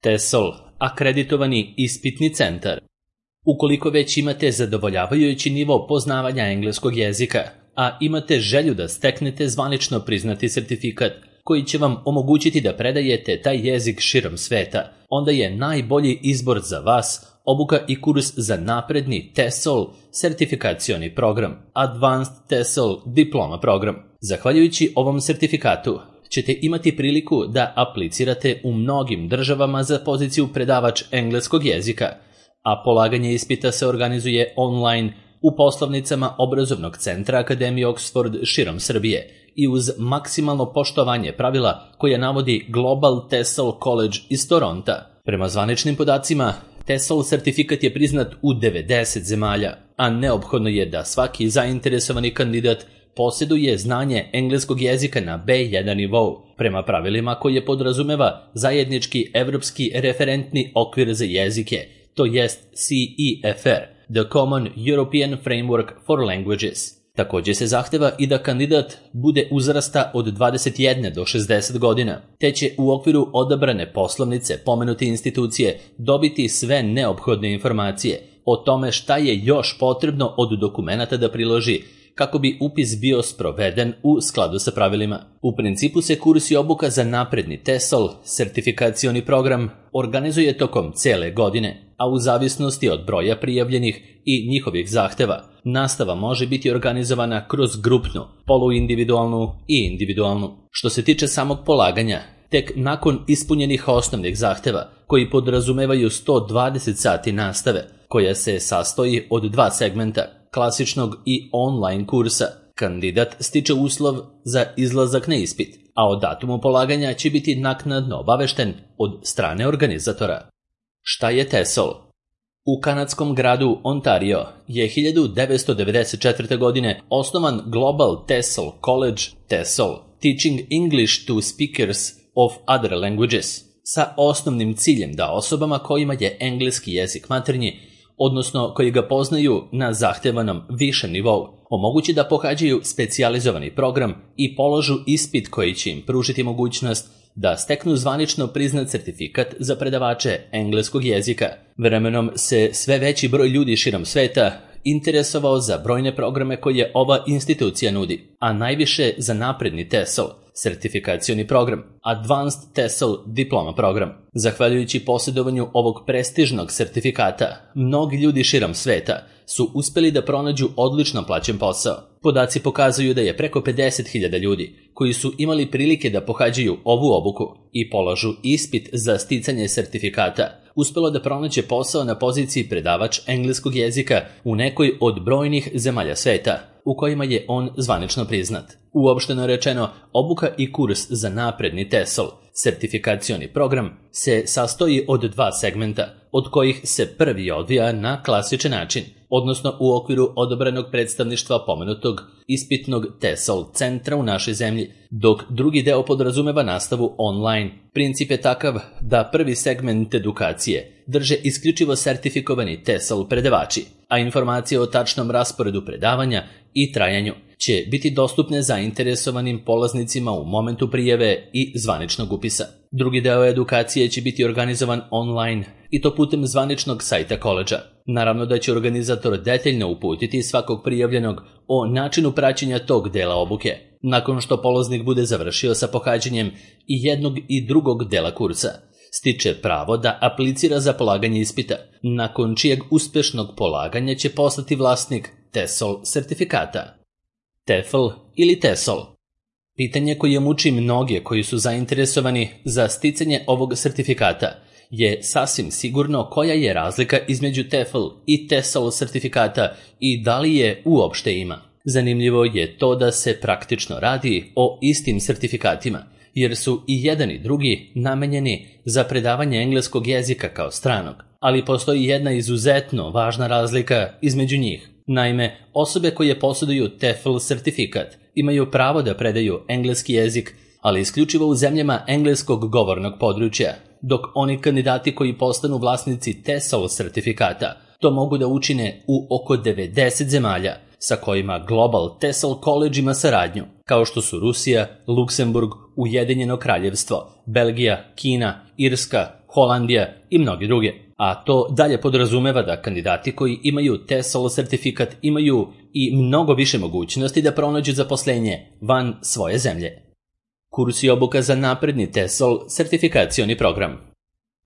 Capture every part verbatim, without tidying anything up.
TESOL, akreditovani ispitni centar. Ukoliko već imate zadovoljavajući nivo poznavanja engleskog jezika, a imate želju da steknete zvanično priznati sertifikat koji će vam omogućiti da predajete taj jezik širom sveta, onda je najbolji izbor za vas obuka i kurs za napredni TESOL sertifikacioni program, Advanced TESOL Diploma program. Zahvaljujući ovom sertifikatu ćete imati priliku da aplicirate u mnogim državama za poziciju predavač engleskog jezika, a polaganje ispita se organizuje online u poslovnicama obrazovnog centra Akademije Oxford širom Srbije i uz maksimalno poštovanje pravila koje navodi Global TESOL College iz Toronta. Prema zvaničnim podacima, TESOL sertifikat je priznat u devedeset zemalja, a neophodno je da svaki zainteresovani kandidat posjeduje znanje engleskog jezika na be jedan nivou, prema pravilima koje podrazumeva zajednički evropski referentni okvir za jezike, to jest C E F R, The Common European Framework for Languages. Također se zahteva i da kandidat bude uzrasta od dvadeset jedne do šezdeset godina, te će u okviru odabrane poslovnice pomenute institucije dobiti sve neophodne informacije o tome šta je još potrebno od dokumenata da priloži kako bi upis bio sproveden u skladu sa pravilima. U principu se kurs i obuka za napredni TESOL sertifikacioni program organizuje tokom cele godine, a u zavisnosti od broja prijavljenih i njihovih zahteva, nastava može biti organizovana kroz grupnu, poluindividualnu i individualnu. Što se tiče samog polaganja, tek nakon ispunjenih osnovnih zahteva, koji podrazumevaju sto dvadeset sati nastave, koja se sastoji od dva segmenta, klasičnog i online kursa, kandidat stiče uslov za izlazak na ispit, a o datumu polaganja će biti naknadno obavešten od strane organizatora. Šta je TESOL? U kanadskom gradu Ontario je hiljadu devetsto devedeset četvrte. godine osnovan Global TESOL College TESOL, Teaching English to Speakers of Other Languages, sa osnovnim ciljem da osobama kojima je engleski jezik maternji, odnosno koji ga poznaju na zahtevanom višem nivou, omogući da pohađaju specijalizovani program i položu ispit koji će im pružiti mogućnost da steknu zvanično priznat sertifikat za predavače engleskog jezika. Vremenom se sve veći broj ljudi širom sveta interesovao za brojne programe koje ova institucija nudi, a najviše za napredni TESOL, sertifikacioni program, Advanced TESOL Diploma program. Zahvaljujući posjedovanju ovog prestižnog sertifikata, mnogi ljudi širom sveta su uspeli da pronađu odlično plaćen posao. Podaci pokazuju da je preko pedeset hiljada ljudi koji su imali prilike da pohađaju ovu obuku i polažu ispit za sticanje sertifikata uspelo da pronađe posao na poziciji predavač engleskog jezika u nekoj od brojnih zemalja sveta u kojima je on zvanično priznat. Uopšteno rečeno, obuka i kurs za napredni TESOL, sertifikacioni program, se sastoji od dva segmenta, od kojih se prvi odvija na klasičan način, odnosno u okviru odabranog predstavništva pomenutog ispitnog TESOL centra u našoj zemlji, dok drugi deo podrazumeva nastavu online. Princip je takav da prvi segment edukacije drže isključivo sertifikovani TESOL predavači, a informacije o tačnom rasporedu predavanja i trajanju će biti dostupne zainteresovanim polaznicima u momentu prijave i zvaničnog upisa. Drugi deo edukacije će biti organizovan online i to putem zvaničnog sajta koledža. Naravno da će organizator detaljno uputiti svakog prijavljenog o načinu praćenja tog dela obuke, nakon što polaznik bude završio sa pohađanjem i jednog i drugog dela kursa. Stiče pravo da aplicira za polaganje ispita, nakon čijeg uspešnog polaganja će postati vlasnik TESOL sertifikata. TEFL ili TESOL. Pitanje koje muči mnoge koji su zainteresovani za sticanje ovog sertifikata je sasvim sigurno koja je razlika između TEFL i TESOL sertifikata i da li je uopšte ima. Zanimljivo je to da se praktično radi o istim sertifikatima, jer su i jedan i drugi namenjeni za predavanje engleskog jezika kao stranog, ali postoji jedna izuzetno važna razlika između njih. Naime, osobe koje posjeduju TEFL sertifikat imaju pravo da predaju engleski jezik, ali isključivo u zemljama engleskog govornog područja, dok oni kandidati koji postanu vlasnici TESOL sertifikata to mogu da učine u oko devedeset zemalja sa kojima Global TESOL College ima saradnju, kao što su Rusija, Luksemburg, Ujedinjeno kraljevstvo, Belgija, Kina, Irska, Holandija i mnogi druge. A to dalje podrazumeva da kandidati koji imaju TESOL sertifikat imaju i mnogo više mogućnosti da pronađu zaposlenje van svoje zemlje. Kurs i obuka za napredni TESOL sertifikacioni program.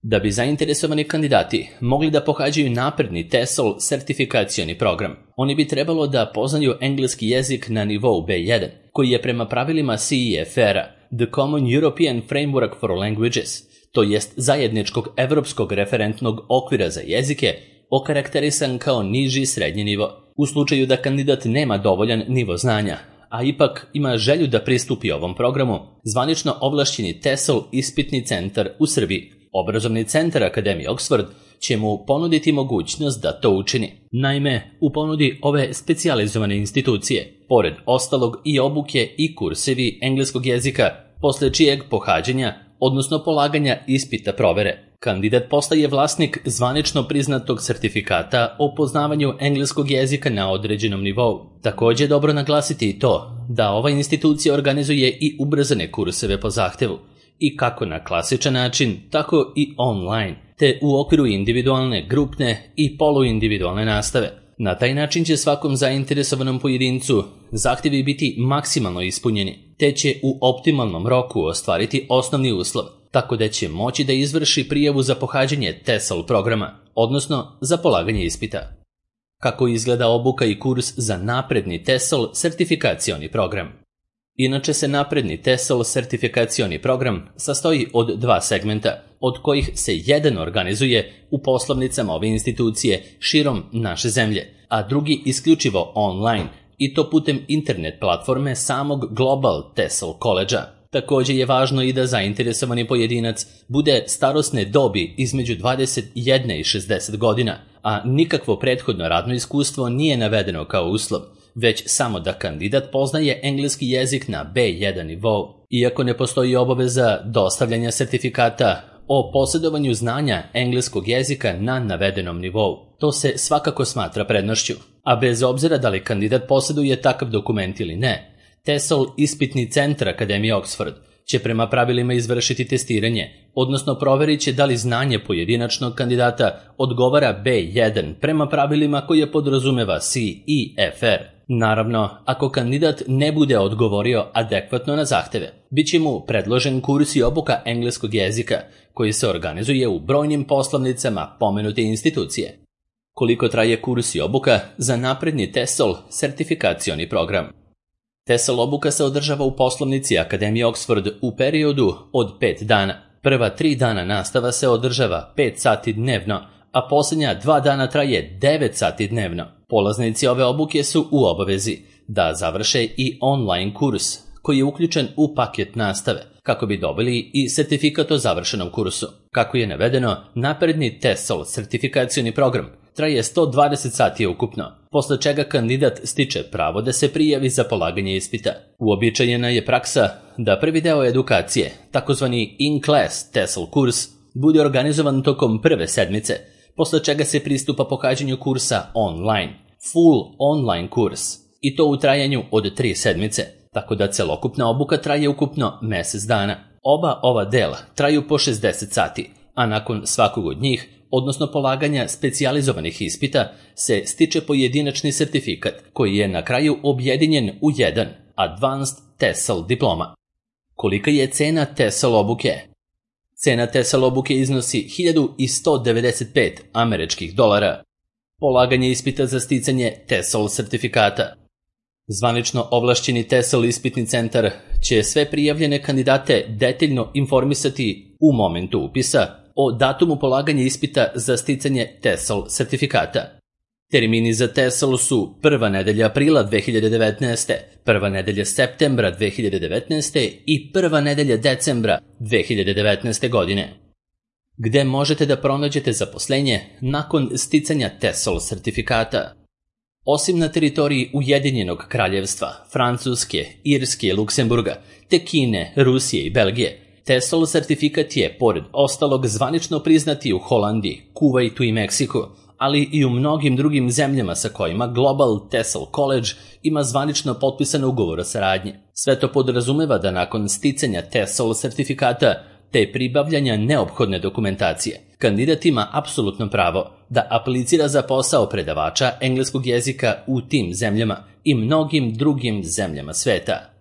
Da bi zainteresovani kandidati mogli da pohađaju napredni TESOL sertifikacioni program, oni bi trebalo da poznaju engleski jezik na nivou be jedan, koji je prema pravilima C E F R-a, The Common European Framework for Languages, to jest zajedničkog evropskog referentnog okvira za jezike, okarakterisan kao niži srednji nivo. U slučaju da kandidat nema dovoljan nivo znanja, a ipak ima želju da pristupi ovom programu, zvanično ovlašćeni TESOL ispitni centar u Srbiji, Obrazovni centar Akademije Oxford, će mu ponuditi mogućnost da to učini. Naime, u ponudi ove specijalizovane institucije, pored ostalog i obuke i kursevi engleskog jezika, posle čijeg pohađanja, odnosno polaganja ispita provere, kandidat postaje vlasnik zvanično priznatog sertifikata o poznavanju engleskog jezika na određenom nivou. Također je dobro naglasiti i to da ova institucija organizuje i ubrzane kurseve po zahtevu, i kako na klasičan način, tako i online, te u okviru individualne, grupne i poluindividualne nastave. Na taj način će svakom zainteresovanom pojedincu zahtjevi biti maksimalno ispunjeni, te će u optimalnom roku ostvariti osnovni uslov, tako da će moći da izvrši prijavu za pohađanje TESOL programa, odnosno za polaganje ispita. Kako izgleda obuka i kurs za napredni TESOL sertifikacioni program? Inače se napredni TESOL sertifikacioni program sastoji od dva segmenta, od kojih se jedan organizuje u poslovnicama ove institucije širom naše zemlje, a drugi isključivo online, i to putem internet platforme samog Global TESOL College-a. Također je važno i da zainteresovani pojedinac bude starosne dobi između dvadeset jedne i šezdeset godina, a nikakvo prethodno radno iskustvo nije navedeno kao uslov, već samo da kandidat poznaje engleski jezik na be jedan nivou. Iako ne postoji obaveza dostavljanja sertifikata o posjedovanju znanja engleskog jezika na navedenom nivou, to se svakako smatra prednošću, a bez obzira da li kandidat posjeduje takav dokument ili ne, TESOL ispitni centar Akademije Oxford će prema pravilima izvršiti testiranje, odnosno proverit će da li znanje pojedinačnog kandidata odgovara be jedan prema pravilima koje podrazumeva C E F R. Naravno, ako kandidat ne bude odgovorio adekvatno na zahteve, bit će mu predložen kurs i obuka engleskog jezika, koji se organizuje u brojnim poslovnicama pomenute institucije. Koliko traje kurs i obuka za napredni TESOL sertifikacioni program? TESOL obuka se održava u poslovnici Akademije Oxford u periodu od pet dana. Prva tri dana nastava se održava pet sati dnevno, a posljednja dva dana traje devet sati dnevno. Polaznici ove obuke su u obavezi da završe i online kurs, koji je uključen u paket nastave, kako bi dobili i sertifikat o završenom kursu. Kako je navedeno, napredni TESOL sertifikacioni program traje sto dvadeset sati ukupno, posle čega kandidat stiče pravo da se prijavi za polaganje ispita. Uobičajena je praksa da prvi deo edukacije, takozvani in-class TESOL kurs, bude organizovan tokom prve sedmice, posle čega se pristupa pohađanju kursa online, full online kurs, i to u trajanju od tri sedmice, tako da celokupna obuka traje ukupno mjesec dana. Oba ova dela traju po šezdeset sati, a nakon svakog od njih, odnosno polaganja specijalizovanih ispita, se stiče pojedinačni sertifikat, koji je na kraju objedinjen u jedan Advanced TESOL diploma. Kolika je cena TESOL obuke? Cena TESOL obuke iznosi hiljadu sto devedeset pet američkih dolara. Polaganje ispita za sticanje TESOL sertifikata. Zvanično ovlašćeni TESOL ispitni centar će sve prijavljene kandidate detaljno informisati u momentu upisa o datumu polaganja ispita za sticanje TESOL sertifikata. Termini za TESOL su prva nedelja aprila dve hiljade devetnaeste, prva nedelja septembra dve hiljade devetnaeste i prva nedelja decembra dve hiljade devetnaeste godine. Gde možete da pronađete zaposlenje nakon sticanja TESOL sertifikata? Osim na teritoriji Ujedinjenog kraljevstva, Francuske, Irske i Luksemburga, te Kine, Rusije i Belgije, TESOL sertifikat je, pored ostalog, zvanično priznati u Holandiji, Kuvajtu i Meksiku, ali i u mnogim drugim zemljama sa kojima Global TESOL College ima zvanično potpisan ugovor o saradnji. Sve to podrazumeva da nakon sticanja TESOL sertifikata te pribavljanja neophodne dokumentacije, kandidat ima apsolutno pravo da aplicira za posao predavača engleskog jezika u tim zemljama i mnogim drugim zemljama sveta.